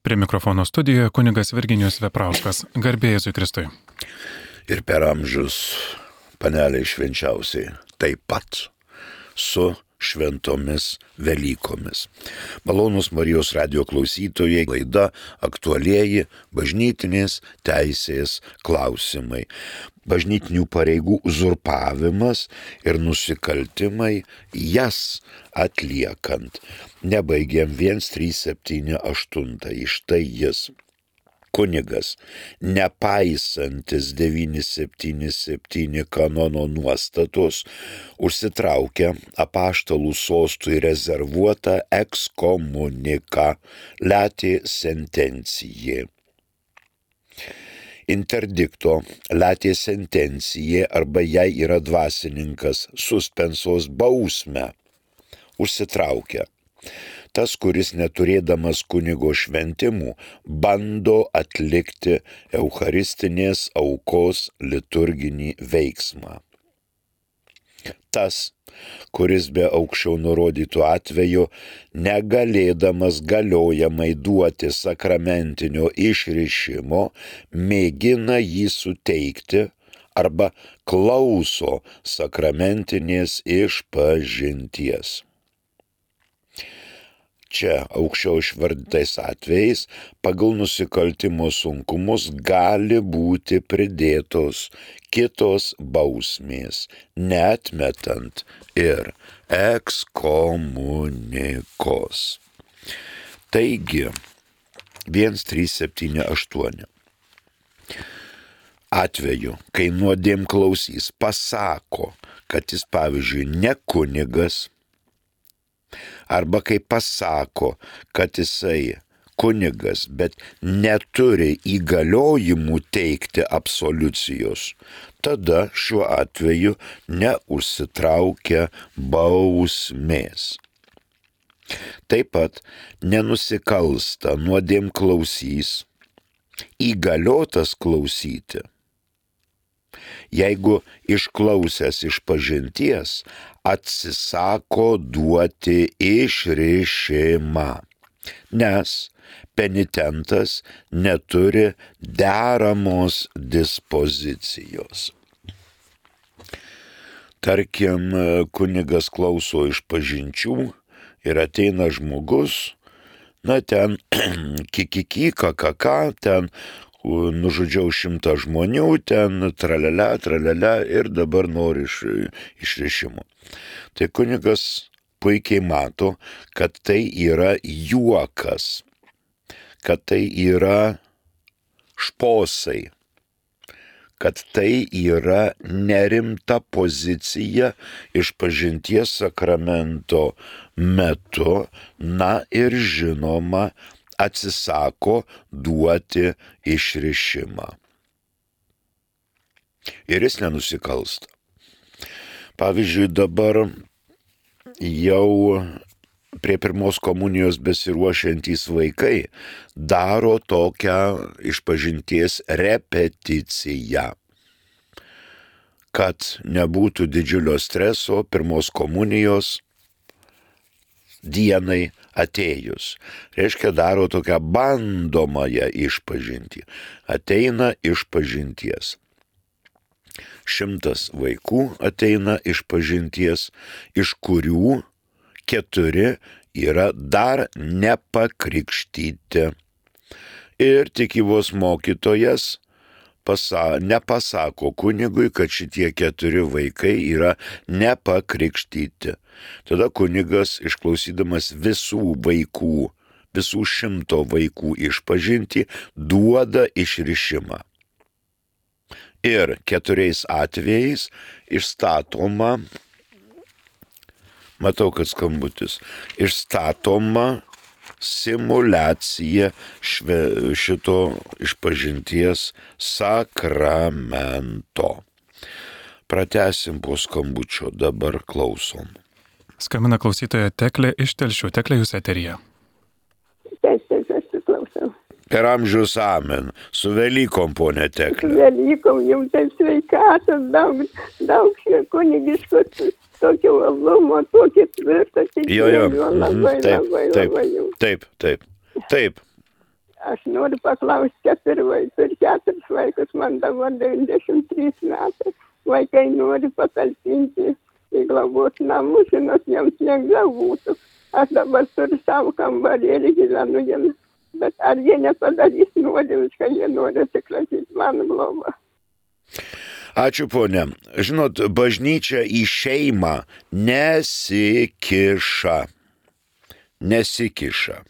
Prie mikrofono studijoje kunigas Virginijus Veprauskas. Garbė Jėzui Kristui. Ir per amžius paneliai švenčiausiai taip pat su šventomis Velykomis. Malonūs Marijos radijo klausytojai, laida aktualieji bažnytinės teisės klausimai. Bažnytinių pareigų uzurpavimas ir nusikaltimai jas atliekant. Nebaigiam 1378. Štai jis. Kunigas, nepaisantis 977 kanono nuostatos, užsitraukia apaštalų sostui rezervuotą ekskomuniką lati sentencijai. Interdikto lati sentencijai arba jei yra dvasininkas suspensos bausmę užsitraukia. Tas, kuris neturėdamas kunigo šventimų, bando atlikti eucharistinės aukos liturginį veiksmą. Tas, kuris be aukščiau nurodytų atveju, negalėdamas galiojamai duoti sakramentinio išrišimo, mėgina jį suteikti arba klauso sakramentinės išpažinties. Čia aukščiau išvardytais atvejais pagal nusikaltimo sunkumus gali būti pridėtos kitos bausmės, neatmetant ir ekskomunikos. Taigi, 1378. Atveju, kai nuodėmklausys pasako, kad jis pavyzdžiui ne kunigas, arba kai pasako, kad jisai kunigas, bet neturi įgaliojimų teikti absoliucijos, tada šiuo atveju neužsitraukia bausmės. Taip pat nenusikalsta nuodėmklausys, įgaliotas klausyti, jeigu išklausęs išpažinties atsisako duoti išrišimą, nes penitentas neturi deramos dispozicijos. Tarkim, kunigas klauso išpažinčių ir ateina žmogus, ten kikiki, kakaka, ten nužudžiau 100 žmonių, ten tralialia ir dabar nori išrišimo. Tai kunigas puikiai mato, kad tai yra juokas, kad tai yra šposai, kad tai yra nerimta pozicija išpažinties sakramento metu, ir žinoma, atsisako duoti išrišimą. Ir jis nenusikalsta. Pavyzdžiui, dabar jau prie pirmos komunijos besiruošiantys vaikai daro tokią išpažinties repeticiją, kad nebūtų didžiulio streso pirmos komunijos dienai atėjus. Reiškia, daro tokią bandomąją išpažintį. Ateina išpažinties. 100 vaikų ateina išpažinties, iš kurių 4 yra dar nepakrikštyti. Ir tikybos mokytojas nepasako kunigui, kad šitie 4 vaikai yra nepakrikštyti. Tada kunigas, išklausydamas visų 100 vaikų išpažintį, duoda išrišimą. Ir 4 atvejais išstatoma, matau, kad skambutis, išstatoma simuliacija šito išpažinties sakramento. Pratęsim po skambučio, dabar klausom. Skambina klausytoja Teklė iš Telšių. Teklė, jūs eteryje. Klausau. Per amžius amen. Su Velykom, ponė Teklė. Su Velykom, jums sveikatos, daug kunigiškos tokio uolumo, tokio tvirto tikėjimo. Labai. Taip. Aš noriu paklausti, 4 vaikus, man dabar 93 metai. Vaikai nori patalpinti į globos namus, žinot, jiems lengviau būtų. Aš dabar turiu savo kambarėlį, gyvenu jiems. Bet ar jie nepadarys nuodėmes, kad jie nori atsikratyti mano globą? Ačiū, ponė. Žinot, bažnyčia į šeimą nesikiša.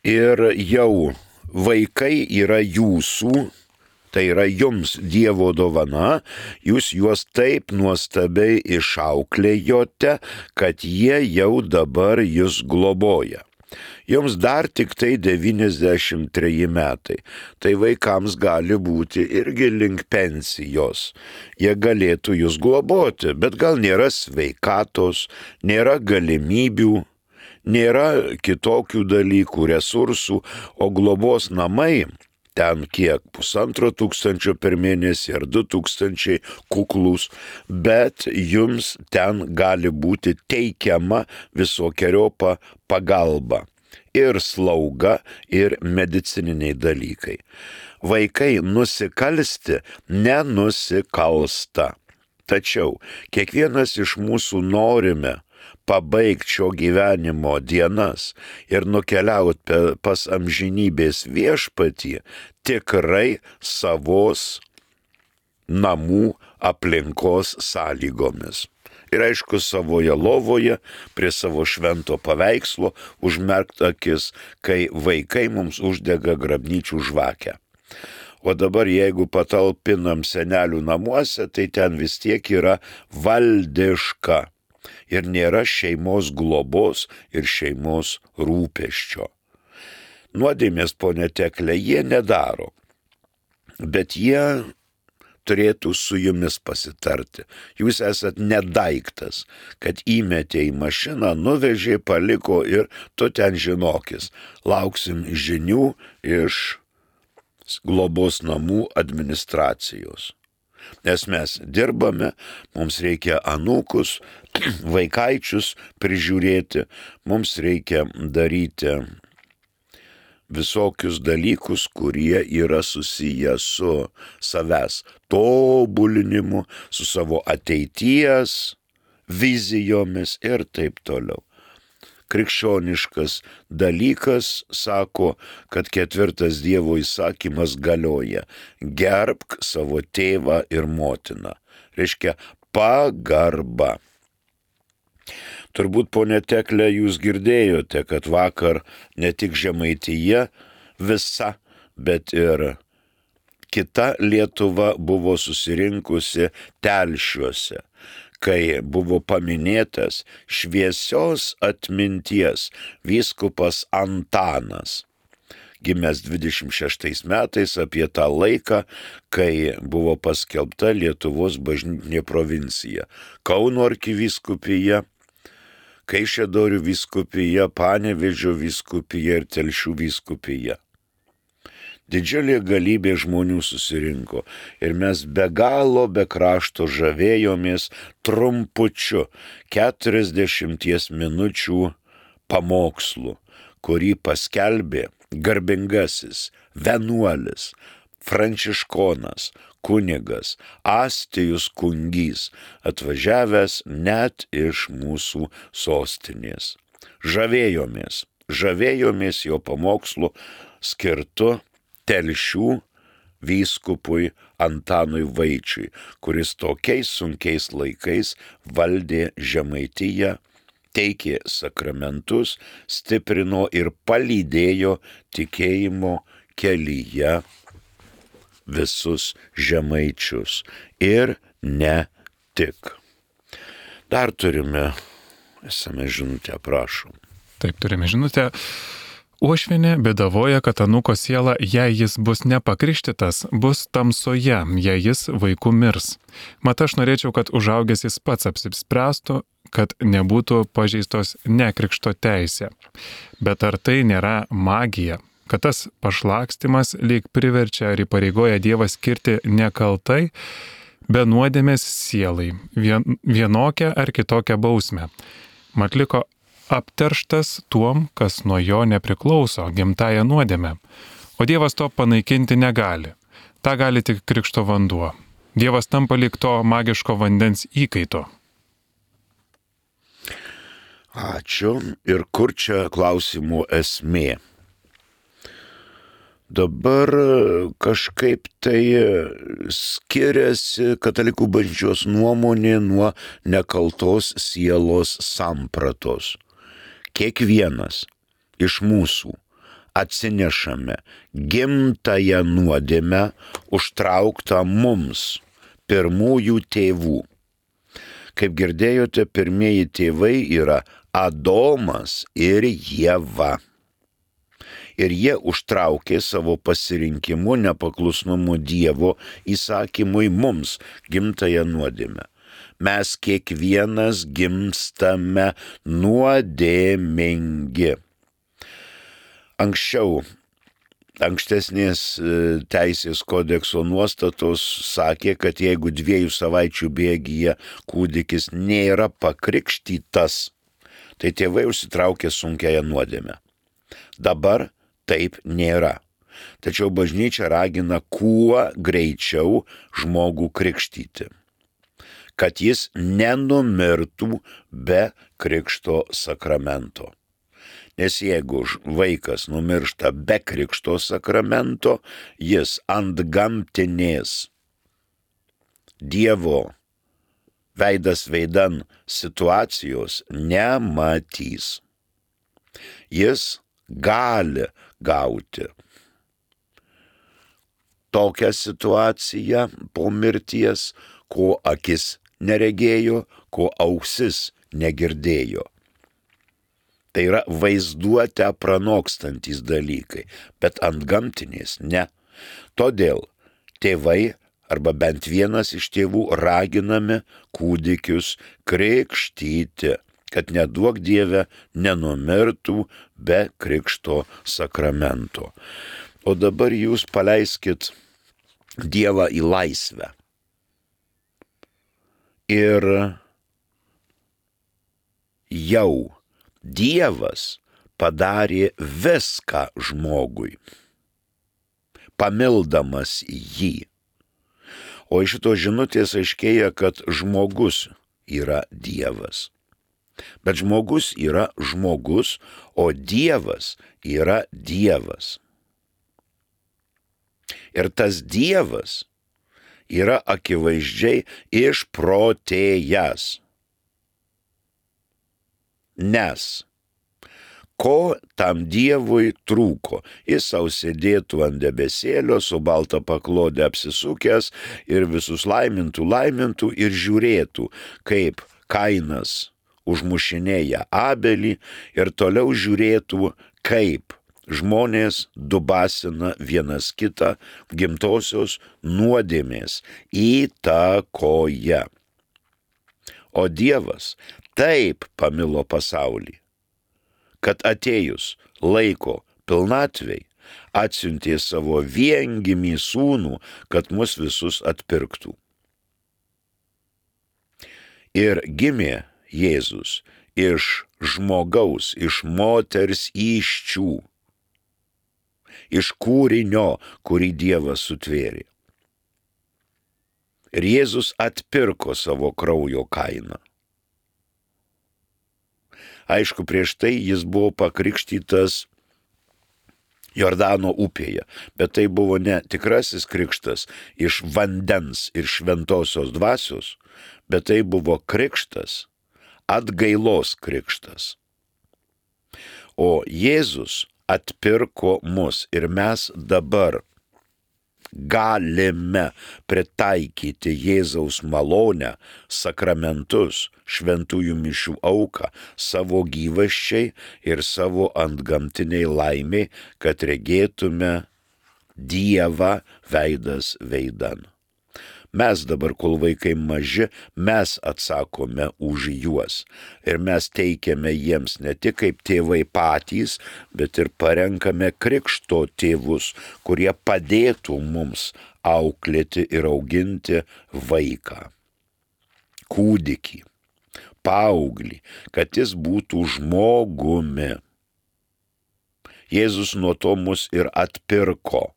Ir jau vaikai yra jūsų, tai yra jums Dievo dovana, jūs juos taip nuostabiai išauklėjote, kad jie jau dabar jūs globoja. Jums dar tik tai 93 metai, tai vaikams gali būti irgi link pensijos. Jie galėtų jūs globoti, bet gal nėra sveikatos, nėra galimybių, nėra kitokių dalykų, resursų, o globos namai ten kiek 1500 per mėnesį ar 2000 kuklus, bet jums ten gali būti teikiama visokiojopa pagalba ir slauga, ir medicininiai dalykai. Vaikai nusikalsti nenusikalsta. Tačiau kiekvienas iš mūsų norime pabaigti šio gyvenimo dienas ir nukeliauti pas amžinybės viešpatį tikrai savos namų aplinkos sąlygomis. Ir aišku, savoje lovoje, prie savo švento paveikslo, užmerkt akis, kai vaikai mums uždega grabnyčių žvakę. O dabar jeigu patalpinam senelių namuose, tai ten vis tiek yra valdiška. Ir nėra šeimos globos ir šeimos rūpesčio. Nuodėmės, ponė Teklė, jie nedaro, bet jie turėtų su jumis pasitarti. Jūs esat nedaiktas, kad įmetė į mašiną, nuvežė, paliko ir tu ten žinokis. Lauksim žinių iš globos namų administracijos. Nes mes dirbame, mums reikia anūkus, vaikaičius prižiūrėti, mums reikia daryti visokius dalykus, kurie yra susiję su savęs tobulinimu, su savo ateities vizijomis ir taip toliau. Krikščioniškas dalykas sako, kad 4 Dievo įsakymas galioja: gerbk savo tėvą ir motiną. Reiškia pagarba. Turbūt, ponė Teklė, jūs girdėjote, kad vakar ne tik Žemaitija visa, bet ir kita Lietuva buvo susirinkusi Telšiuose, kai buvo paminėtas šviesios atminties vyskupas Antanas, gimęs 26 metais, apie tą laiką, kai buvo paskelbta Lietuvos bažnytinė provincija. Kauno arkivyskupija, Kaišiadorių vyskupija, Panevėžio vyskupija ir Telšių vyskupija. Didžiulė galybė žmonių susirinko ir mes be galo, be krašto žavėjomės trumpučiu 40 minučių pamokslu, kurį paskelbė garbingasis vienuolis, pranciškonas, kunigas Astijus Kungys, atvažiavęs net iš mūsų sostinės. Žavėjomės jo pamokslu skirtu Telšių vyskupui Antanui Vaičiui, kuris tokiais sunkiais laikais valdė Žemaitiją, teikė sakramentus, stiprino ir palydėjo tikėjimo kelyje visus žemaičius ir ne tik. Dar turime žinutę, prašom. Taip, turime žinutę. Uošvienė bėdavoja, kad anūko siela, jei jis bus nepakrikštytas, bus tamsoje, jei jis vaiku mirs. Mat aš norėčiau, kad užaugęs jis pats apsispręstų, kad nebūtų pažeistos nekrikšto teisė. Bet ar tai nėra magija? Kad tas pašlakstimas lyg priverčia ar įpareigoja Dievą skirti nekaltai, be nuodėmės sielai, vienokią ar kitokią bausmę. Mat liko apterštas tuom, kas nuo jo nepriklauso, gimtąją nuodėmę. O Dievas to panaikinti negali. Ta gali tik krikšto vanduo. Dievas tampa lyg to magiško vandens įkaito. Ačiū. Ir kur čia klausimų esmė? Dabar kažkaip tai skiriasi katalikų bažnyčios nuomonė nuo nekaltos sielos sampratos. Kiekvienas iš mūsų atsinešame gimtąją nuodėmę užtrauktą mums, pirmųjų tėvų. Kaip girdėjote, pirmieji tėvai yra Adomas ir Ieva. Ir jie užtraukė savo pasirinkimu, nepaklusnumu Dievo įsakymui mums gimtąją nuodėmę. Mes kiekvienas gimstame nuodėmingi. Ankstesnės teisės kodekso nuostatos sakė, kad jeigu 2 savaičių bėgyje kūdikis nėra pakrikštytas, tai tėvai užsitraukė sunkiąją nuodėmę. Dabar taip nėra. Tačiau bažnyčia ragina kuo greičiau žmogų krikštyti, kad jis nenumirtų be krikšto sakramento. Nes jeigu vaikas numiršta be krikšto sakramento, jis antgamtinės Dievo veidas veidan situacijos nematys. Jis gali gauti tokią situaciją po mirties, ko akis neregėjo, ko ausis negirdėjo. Tai yra vaizduotę pranokstantis dalykai, bet antgamtinės ne. Todėl tėvai arba bent vienas iš tėvų raginami kūdikius krikštyti, kad neduok Dieve nenumirtų be krikšto sakramento. O dabar jūs paleiskit Dievą į laisvę. Ir jau Dievas padarė viską žmogui, pamildamas jį. O iš šito žinutės aiškėja, kad žmogus yra Dievas. Bet žmogus yra žmogus, o Dievas yra Dievas. Ir tas Dievas yra akivaizdžiai išprotėjęs. Nes ko tam Dievui trūko? Jis sau sėdėtų ant debesėlio, su balta paklodė apsisukęs ir visus laimintų ir žiūrėtų, kaip Kainas užmušinėja Abelį ir toliau žiūrėtų, kaip žmonės dubasina vienas kitą gimtosios nuodėmės įtakoje. O Dievas taip pamilo pasaulį, kad atėjus laiko pilnatvei atsiuntė savo viengimį sūnų, kad mus visus atpirktų. Ir gimė Jėzus iš žmogaus, iš moters įsčių, iš kūrinio, kurį Dievas sutvėrė. Ir Jėzus atpirko savo kraujo kainą. Aišku, prieš tai jis buvo pakrikštytas Jordano upėje, bet tai buvo ne tikrasis krikštas iš vandens ir šventosios dvasios, bet tai buvo krikštas, atgailos krikštas. O Jėzus atpirko mus ir mes dabar galime pritaikyti Jėzaus malonę, sakramentus, šventųjų mišių auką savo gyvasčiai ir savo antgamtiniai laimiai, kad regėtume Dievą veidas veidan. Mes dabar, kol vaikai maži, mes atsakome už juos. Ir mes teikiame jiems ne tik kaip tėvai patys, bet ir parenkame krikšto tėvus, kurie padėtų mums auklėti ir auginti vaiką, kūdikį, paauglį, kad jis būtų žmogumi. Jėzus nuo to mus ir atpirko.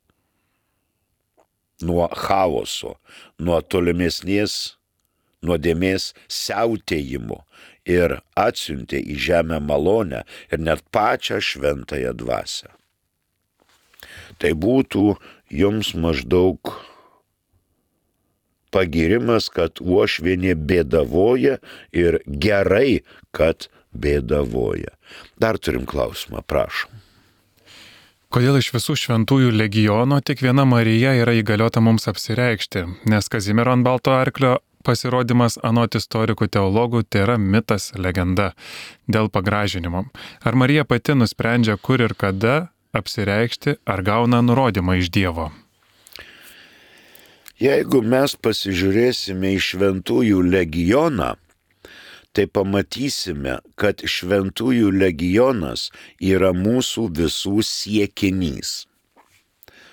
Nuo chaoso, nuo tolimesnės nuodėmės siautėjimo ir atsiuntė į žemę malonę ir net pačią šventąją dvasią. Tai būtų jums maždaug pagirimas, kad uošvienė bėdavoja ir gerai, kad bėdavoja. Dar turim klausimą, prašom. Kodėl iš visų šventųjų legiono tik viena Marija yra įgaliota mums apsireikšti, nes Kazimiero ant balto arklio pasirodymas anot istorikų teologų tai yra mitas, legenda dėl pagražinimo. Ar Marija pati nusprendžia, kur ir kada apsireikšti, ar gauna nurodymą iš Dievo? Jeigu mes pasižiūrėsime į šventųjų legioną, tai pamatysime, kad šventųjų legionas yra mūsų visų siekinys.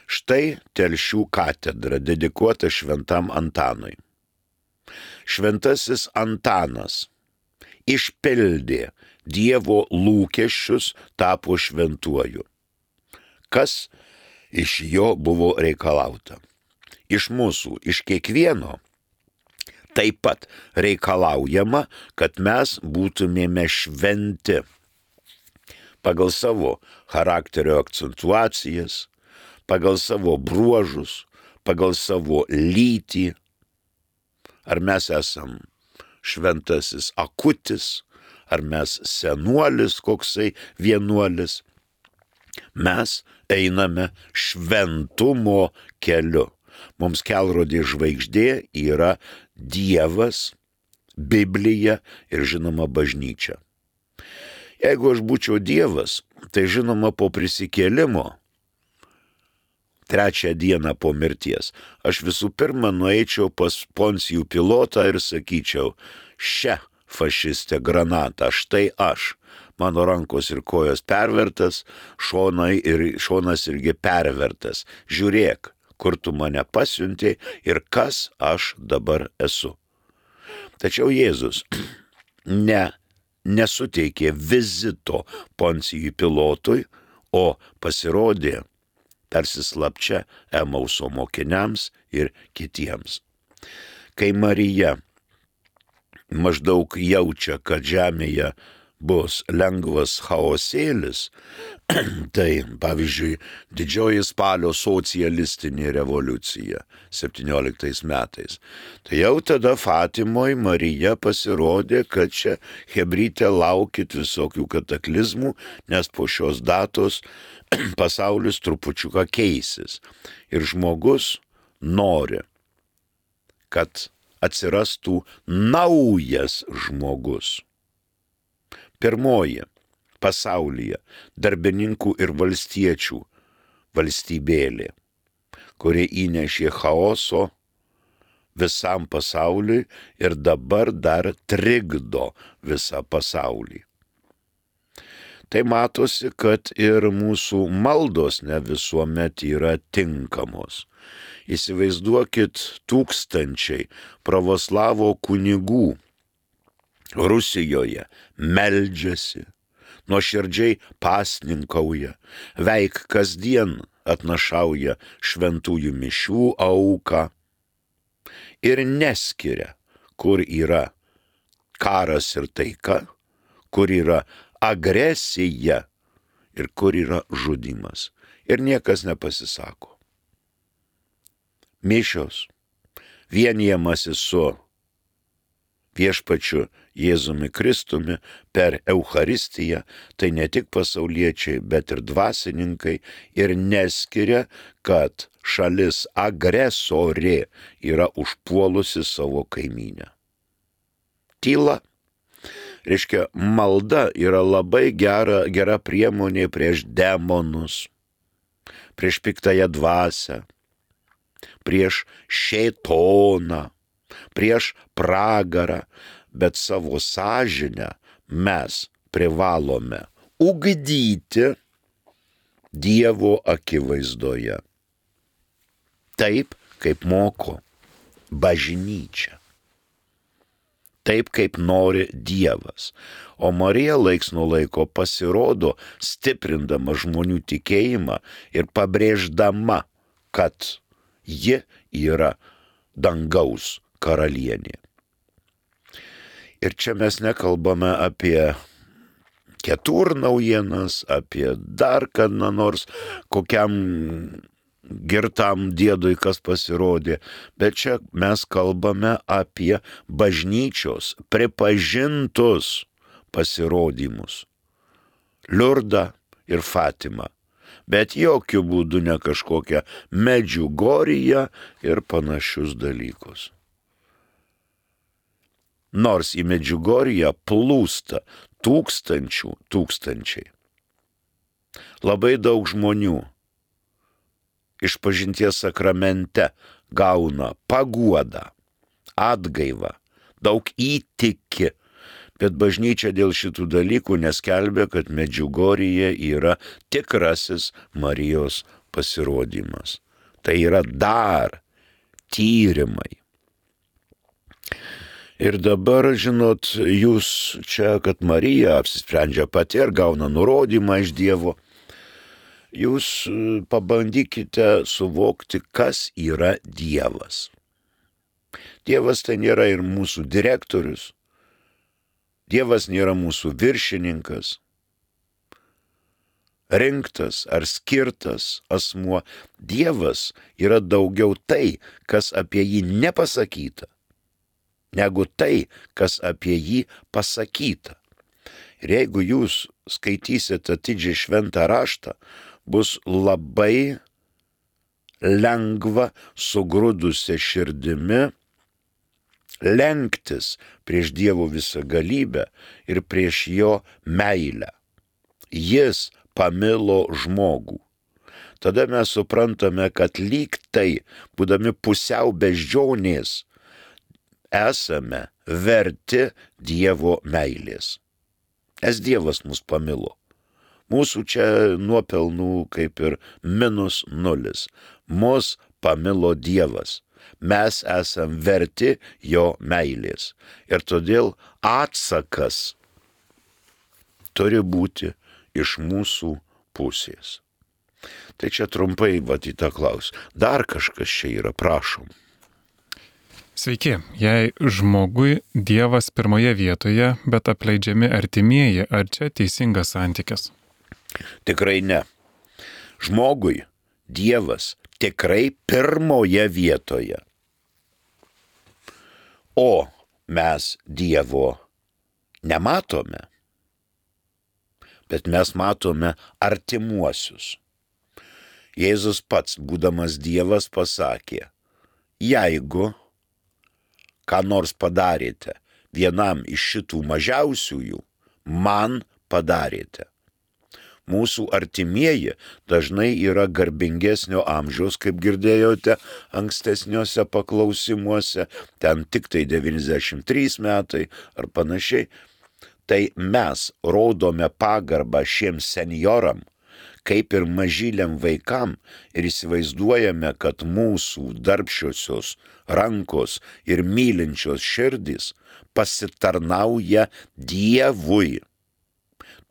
Štai Telšių katedra dedikuota šventam Antanui. Šventasis Antanas išpildė Dievo lūkesčius, tapo šventuoju. Kas iš jo buvo reikalauta? Iš mūsų, iš kiekvieno. Taip pat reikalaujama, kad mes būtumėme šventi pagal savo charakterio akcentuacijas, pagal savo bruožus, pagal savo lytį. Ar mes esam šventasis akutis, ar mes senuolis koksai vienuolis. Mes einame šventumo keliu. Mums kelrodė žvaigždė yra Dievas, Biblija ir žinoma bažnyčia. Jeigu aš būčiau Dievas, tai žinoma po prisikėlimo, 3 dieną po mirties, aš visų pirma nueičiau pas Poncijų Pilotą ir sakyčiau, šią fašistę granatą, štai aš, mano rankos ir kojos pervertas, šonas irgi pervertas, žiūrėk, kur tu mane pasiuntei ir kas aš dabar esu. Tačiau Jėzus nesuteikė vizito Poncijui Pilotui, o pasirodė tarsi slapčia Emauso mokiniams ir kitiems. Kai Marija maždaug jaučia, kad žemėje bus lengvas chaosėlis, tai pavyzdžiui didžioji spalio socialistinė revoliucija 17 metais. Tai jau tada Fatimoj Marija pasirodė, kad čia hebryte laukit visokių kataklizmų, nes po šios datos pasaulis trupučiuką keisis. Ir žmogus nori, kad atsirastų naujas žmogus. Pirmoji pasaulyje darbininkų ir valstiečių valstybėlė, kuri įnešė chaoso visam pasauliui ir dabar dar trikdo visą pasaulį. Tai matosi, kad ir mūsų maldos ne visuomet yra tinkamos. Įsivaizduokit, tūkstančiai pravoslavo kunigų Rusijoje meldžiasi, nuoširdžiai pasninkauja, veik kasdien atnašauja šventųjų mišių auką ir neskiria, kur yra karas ir taika, kur yra agresija ir kur yra žudymas. Ir niekas nepasisako. Mišios, vienijamasi su viešpačiu Jėzumi Kristumi per Eucharistiją, tai ne tik pasauliečiai, bet ir dvasininkai ir neskiria, kad šalis agresorė yra užpuolusi savo kaimynę. Tyla, reiškia, malda yra labai gera priemonė prieš demonus, prieš piktąją dvasią, prieš šėtoną, prieš pragarą, bet savo sąžinę mes privalome ugdyti Dievo akivaizdoje. Taip, kaip moko bažnyčia. taip kaip nori Dievas. O Marija laiks nuo laiko pasirodo, stiprindama žmonių tikėjimą ir pabrėždama, kad ji yra dangaus karalienė. Ir čia mes nekalbame apie ketur naujienas, apie dar kada nors kokiam girtam diedui, kas pasirodė, bet čia mes kalbame apie bažnyčios pripažintus pasirodymus. Liurdą ir Fatimą, bet jokių būdų ne kažkokią Medžiugorję ir panašius dalykus. Nors į Medžiugorję plūsta tūkstančiai. Labai daug žmonių išpažinties sakramente gauna paguodą, atgaivą, daug įtiki, bet bažnyčia dėl šitų dalykų neskelbia, kad Medžiugorėje yra tikrasis Marijos pasirodymas. Tai yra dar tyrimai. Ir dabar, žinot, jūs čia, kad Marija apsisprendžia pati ir gauna nurodymą iš Dievo, jūs pabandykite suvokti, kas yra Dievas. Dievas tai nėra ir mūsų direktorius, Dievas nėra mūsų viršininkas, rinktas ar skirtas asmuo. Dievas yra daugiau tai, kas apie jį nepasakyta, negu tai, kas apie jį pasakyta. Ir jeigu jūs skaitysite atidžiai šventą raštą, bus labai lengva sugrūdusia širdimi lenktis prieš Dievo visagalybę ir prieš jo meilę. Jis pamilo žmogų. Tada mes suprantame, kad lyg tai, būdami pusiau beždžionės, esame verti Dievo meilės. Nes Dievas mus pamilo. Mūsų čia nuopelnų kaip ir -0. Mus pamilo Dievas. Mes esam verti jo meilės. Ir todėl atsakas turi būti iš mūsų pusės. Tai čia trumpai į tą klausimą. Dar kažkas čia yra, prašom. Sveiki, jei žmogui Dievas pirmoje vietoje, bet apleidžiami artimieji, ar čia teisingas santykis? Tikrai ne. Žmogui Dievas tikrai pirmoje vietoje. O mes Dievo nematome, bet mes matome artimuosius. Jėzus pats, būdamas Dievas, pasakė, jeigu ką nors padarėte vienam iš šitų mažiausiųjų, man padarėte. Mūsų artimieji dažnai yra garbingesnio amžiaus, kaip girdėjote ankstesniuose paklausimuose, ten tik tai 93 metai ar panašiai. Tai mes rodome pagarbą šiems senjoram, kaip ir mažyliam vaikam, ir įsivaizduojame, kad mūsų darbščiosios rankos ir mylinčios širdys pasitarnauja Dievui.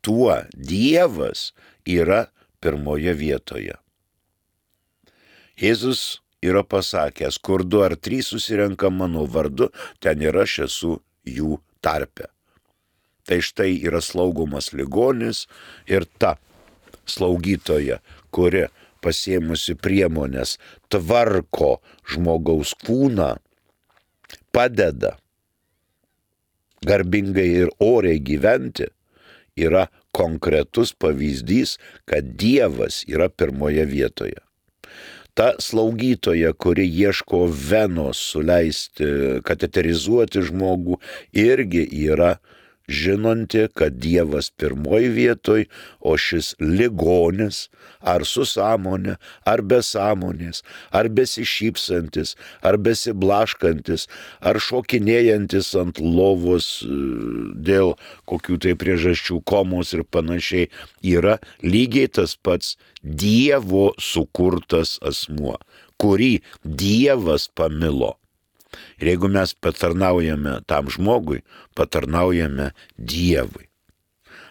Tuo Dievas yra pirmoje vietoje. Jėzus yra pasakęs, kur 2 ar 3 susirenka mano vardu, ten ir aš esu jų tarpe. Tai štai yra slaugomas ligonis ir ta slaugytoja, kuri pasiėmusi priemonės tvarko žmogaus kūną, padeda garbingai ir oriai gyventi, yra konkretus pavyzdys, kad Dievas yra pirmoje vietoje. Ta slaugytoja, kuri ieško venos suleisti, kateterizuoti žmogų, irgi yra žinanti, kad Dievas pirmoje vietoje, o šis ligonis, ar su sąmonė, ar be sąmonės, ar besišypsantis, ar besiblaškantis, ar šokinėjantis ant lovos dėl kokių tai priežasčių, komos ir panašiai, yra lygiai tas pats Dievo sukurtas asmuo, kurį Dievas pamilo. Ir jeigu mes patarnaujame tam žmogui, patarnaujame Dievui.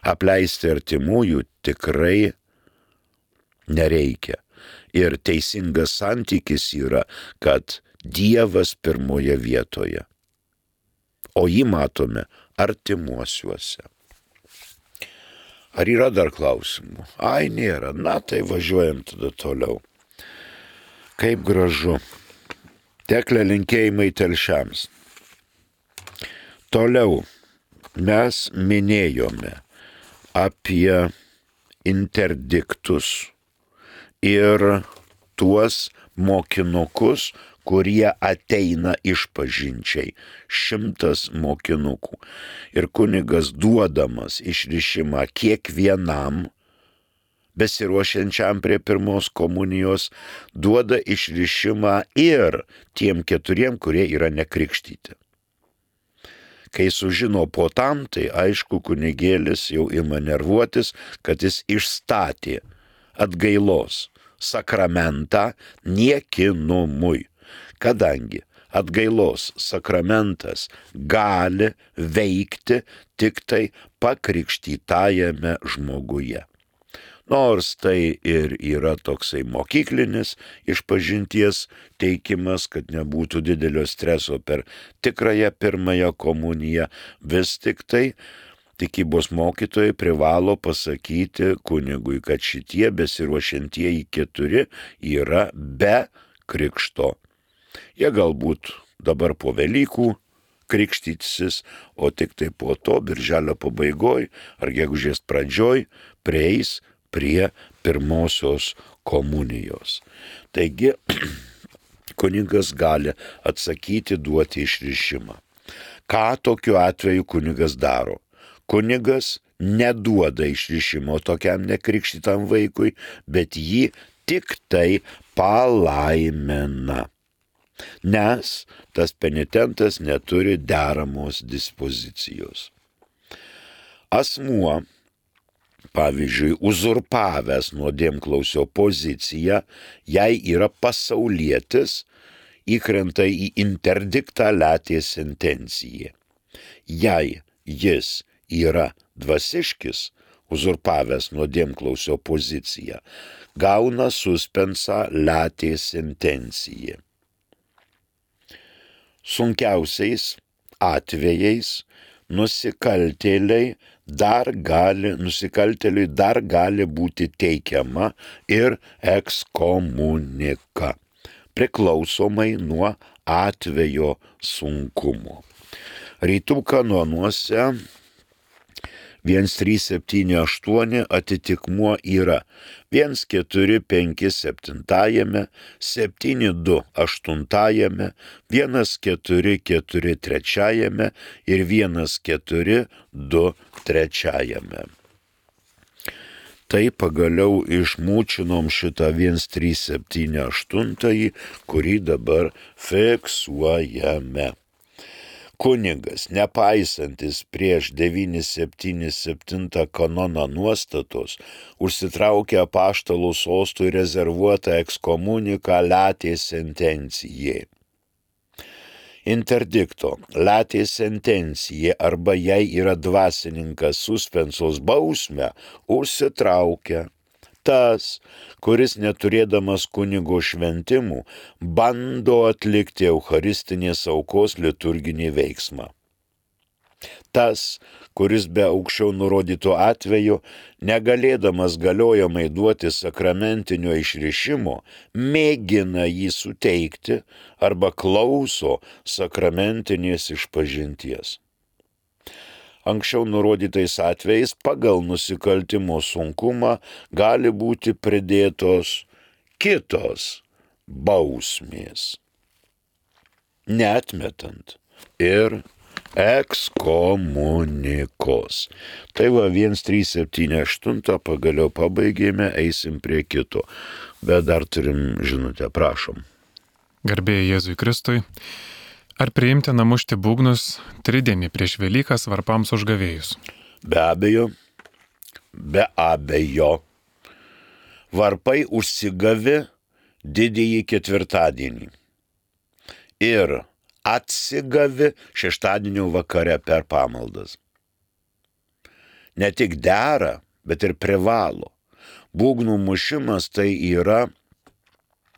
Apleisti artimųjų tikrai nereikia. Ir teisingas santykis yra, kad Dievas pirmoje vietoje, o jį matome artimuosiuose. Ar yra dar klausimų? Ai, nėra. Na, tai važiuojam tada toliau. Kaip gražu. Tekle linkėjimai telšiams. Toliau mes minėjome apie interdiktus ir tuos mokinukus, kurie ateina išpažinčiai. 100 mokinukų. Ir kunigas duodamas išrišimą kiekvienam besiruošiančiam prie pirmos komunijos, duoda išrišimą ir tiem 4, kurie yra nekrikštyti. Kai sužino po tam, tai aišku, kunigėlis jau ima nervuotis, kad jis išstatė atgailos sakramentą niekinumui, kadangi atgailos sakramentas gali veikti tik tai pakrikštytajame žmoguje. Nors tai ir yra toksai mokyklinis išpažinties teikimas, kad nebūtų didelio streso per tikrąją pirmąją komuniją, vis tik tai tikybos mokytojai privalo pasakyti kunigui, kad šitie besiruošiantieji 4 yra be krikšto. Jie galbūt dabar po Velykų krikštytis, o tik tai po to, birželio pabaigoj ar gegužės pradžioj, prieis prie pirmosios komunijos. Taigi, kunigas gali atsakyti, duoti išrišimą. Ką tokiu atveju kunigas daro? Kunigas neduoda išrišimo tokiam nekrikštytam vaikui, bet jį tik tai palaimina. Nes tas penitentas neturi deramos dispozicijos. Asmuo, pavyzdžiui, uzurpavęs nuodėmklausio poziciją, jei yra pasaulietis, įkrenta į interdiktą letės sentenciją. Jei jis yra dvasiškis, uzurpavęs nuodėmklausio poziciją, gauna suspensą letės sentenciją. Sunkiausiais atvejais nusikaltėliui dar gali būti teikiama ir ekskomunika, priklausomai nuo atvejo sunkumo. Rytų kanonuose 1378 atitikmuo yra 1457, 728, 1443 ir 1423. Tai pagaliau išmūčinom šitą 1378, kurį dabar fiksuojame. Kunigas, nepaisantis prieš 977 kanono nuostatos, užsitraukė apaštalų sostui rezervuotą ekskomuniką letės sentencijai. Interdikto letės sentencija arba jei yra dvasininkas suspensos bausmę, užsitraukia tas, kuris neturėdamas kunigo šventimų, bando atlikti eucharistinės aukos liturginį veiksmą. Tas, kuris be aukščiau nurodyto atveju, negalėdamas galiojamai duoti sakramentinio išrišimo, mėgina jį suteikti arba klauso sakramentinės išpažinties. Anksčiau nurodytais atvejais pagal nusikaltimo sunkumą gali būti pridėtos kitos bausmės, neatmetant ir ekskomunikos. Tai va 1378 pagaliau pabaigėme, eisim prie kito, bet dar turim žinutę, prašom. Garbėjai Jėzui Kristui. Ar priimtina mušti būgnus tridienį prieš Velykas varpams užgavėjus? Be abejo. Varpai užsigavi didįjį ketvirtadienį. Ir atsigavi šeštadienio vakare per pamaldas. Ne tik dera, bet ir privalo. Būgnų mušimas tai yra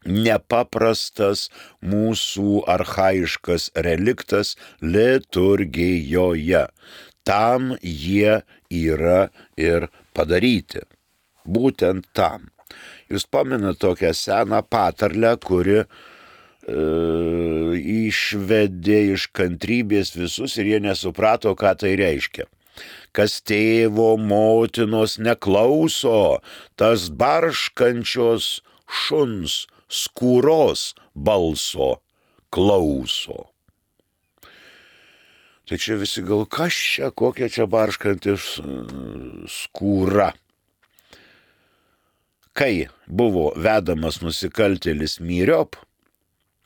nepaprastas mūsų archaiškas reliktas liturgijoje. Tam jie yra ir padaryti. Būtent tam. Jūs pamenate tokią seną patarlę, kuri išvedė iš kantrybės visus ir jie nesuprato, ką tai reiškia. Kas tėvo motinos neklauso, tas barškančios šuns skūros balso klauso. Tai čia visi gal, kas čia, kokia čia barškantis skūra. Kai buvo vedamas nusikaltėlis myriop,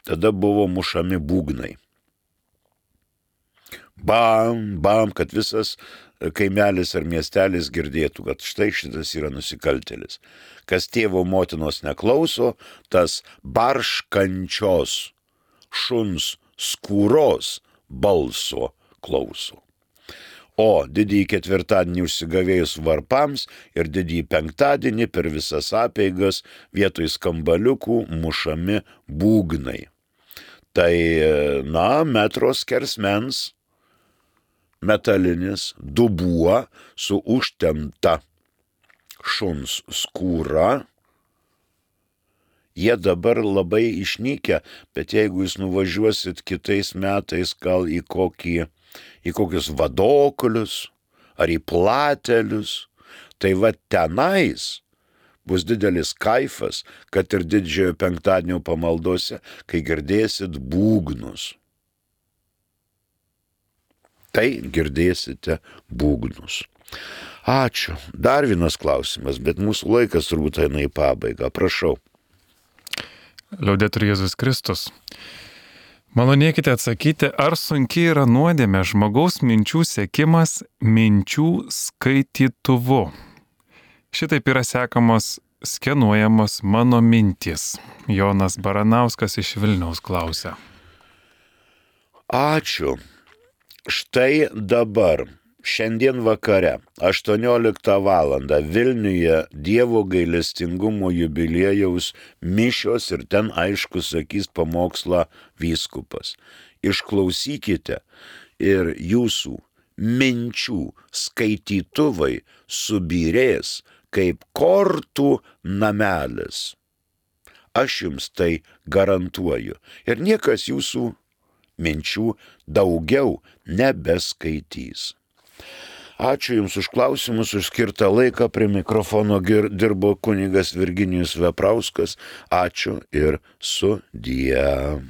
tada buvo mušami būgnai. Bam, bam, kad visas kaimelis ar miestelis girdėtų, kad štai šitas yra nusikaltėlis. Kas tėvo motinos neklauso, tas barškančios šuns skūros balso klauso. O didįjį ketvirtadienį užsigavėjus varpams ir didįjį penktadienį per visas apeigas vietoj skambaliukų mušami būgnai. Tai, metro skersmens metalinis dubuo su užtempta šuns skūra. Jie dabar labai išnykę, bet jeigu jūs nuvažiuosit kitais metais gal į kokius vadoklius ar į platelius, tai va tenais bus didelis kaifas, kad ir didžiojo penktadienio pamaldose, kai girdėsit būgnus. Tai girdėsite būgnus. Ačiū. Dar vienas klausimas, bet mūsų laikas turbūt eina į pabaigą. Prašau. Liaudetur Jėzus Kristus. Malonėkite atsakyti, ar sunkiai yra nuodėmė žmogaus minčių sekimas minčių skaitytuvu. Šitaip yra sekamos, skenuojamos mano mintys. Jonas Baranauskas iš Vilniaus klausia. Ačiū. Štai dabar, šiandien vakare, 18 valandą Vilniuje Dievo gailestingumo jubiliejaus mišios ir ten aišku sakys pamokslą vyskupas. Išklausykite ir jūsų minčių skaitytuvai subyrės kaip kortų namelis. Aš jums tai garantuoju. Ir niekas jūsų minčių daugiau nebeskaitys. Ačiū Jums už klausimus, už skirtą laiką. Prie mikrofono dirbo kunigas Virginijus Veprauskas. Ačiū ir sudie.